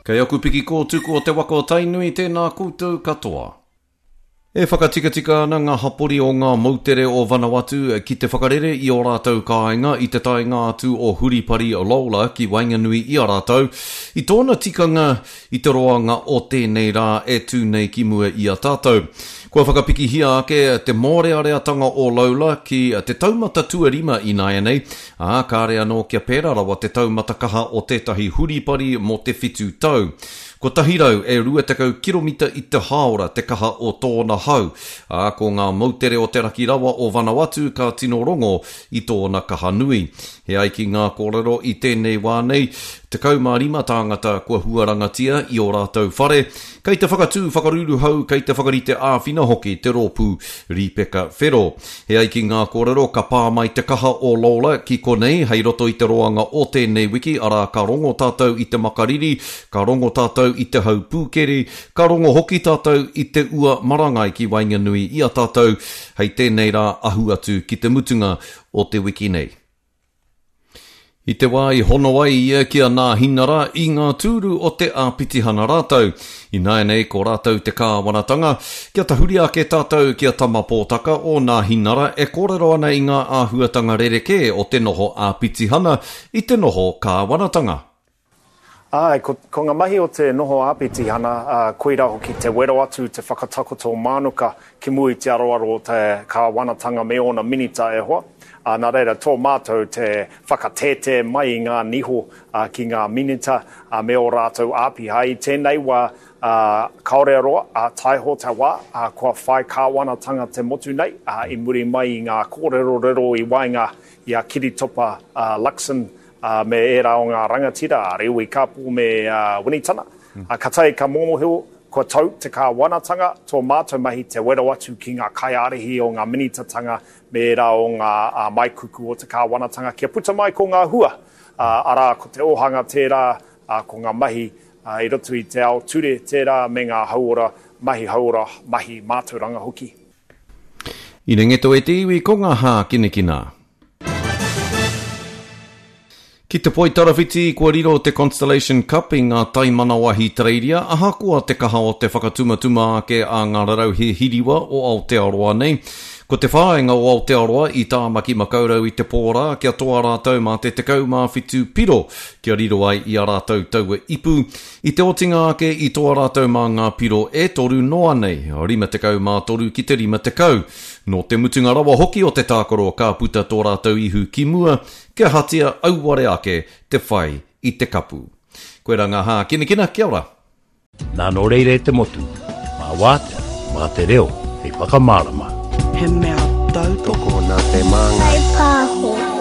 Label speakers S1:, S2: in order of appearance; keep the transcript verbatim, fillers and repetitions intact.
S1: Kei aku piki kōtuku o te waka o Tainui, tēnā koutou katoa. E whakatikatika ana ngā hapori o ngā moutere o Vanuatu ki te whakarere i ō rātou kāinga i te taenga atu o Huripari Lola ki waenganui i a rātou, i tōna tikanga i te roanga o tēnei rā e tū nei ki mua i a tātou. Kua whakapikihia ake te mōreareatanga o Lola ki te taumata tuarima ināianei, ā, kāre anō kia pērā rawa te taumata kaha o tētahi huripari mō te whitu tau. Kotahi rau e rua tekau kiromita i te hāora te kaha o tōna hau, ā, ko ngā moutere o te raki rawa o Vanuatu ka tino rongo i tōna kaha nui. He ai ki ngā kōrero i tēnei wā nei, tekau mā rima tāngata kua huarangatia i ō rātou whare, kei te whakatū whakaruruhau, kei te whakarite āwhina hoki te rōpū Rīpeka Whero. He ai ki ngā kōrero ka pā mai te kaha o Lola ki konei hei roto i te roanga o tēnei wiki, arā ka rongo tātou i te makariri, ka rongo tātou i te hau pūkeri, ka rongo hoki tātou i te ua marangai ki waenganui i a tātou hei tēnei rā ahu atu ki te mutunga o te wiki nei. I te wā i hono ai ia ki a Nāhinara i ngā tūru o te āpitihana rātou. Ināianei ko rātou te kāwanatanga, kia tahuri ake tātou ki a Tama Pōtaka o Nāhinara e kōrero ana i ngā āhuatanga rerekē o te noho āpitihana i te noho kāwanatanga.
S2: Āe, ko, ko ngā mahi o te noho āpitihana, ā, koirā hoki te wero atu, te whakatakoto mānuka ki mua i te aroaro o te kāwanatanga me ōna minita e hoa. Ā, nā reira, tō mātou te whakatētē mai i ngā niho ā, ki ngā minita ā, me ō rātou āpiha. I tēnei wā, ā, kāore a roa, ā, taiho te wā, ā, kua whai kāwanatanga te motu nei, ā, i muri mai i ngā kōrerorero i waenga i a Kiritopa ā, Luxon, ā, me ērā o ngā rangatira, a Rewi Kapo me ā, Winitana. Ā, ka tae ka mōhio, kua tau te kāwanatanga, tō mātou mahi te wero atu ki ngā kaiārahi o ngā minitatanga me ērā o ngā ā, maikuku o te kāwanatanga kia puta mai ko ngā hua, ā, arā ko te ōhanga tērā, ā, ko ngā mahi ā, i roto i te ao ture tērā me ngā hauora, mahi hauora, mahi mātauranga hoki.
S1: I Ringeto e te iwi ko ngā hākinakina. Ki te poitarawhiti kua riro te Constellation Cup i ngā taimanawa Ahitereiria, ahakoa te kaha o te whakatumatuma ake a ngā rarauhe hiriwa o Aotearoa nei. Ko te whāinga o Aotearoa i Tāmaki Makaurau i te pō rā kia toa rātou mā te tekau mā whitu piro kia riro ai i a rātou taua ipu. I te otinga ake i toa rātou mā ngā piro e toru noa nei, rima tekau mā toru ki te rima tekau. Nō te mutunga rawa hoki o te tākaro ka puta tō rātou ihu ki mua, kia hatia auare ake te whai i te kapu. Koirā ngā hākinakina, kia ora!
S3: Nā nō reira e te motu, mā wātea, mā te reo, hei whakamārama.
S4: He mea tautoko.
S5: Tokona te māngai.
S6: Whai pāho.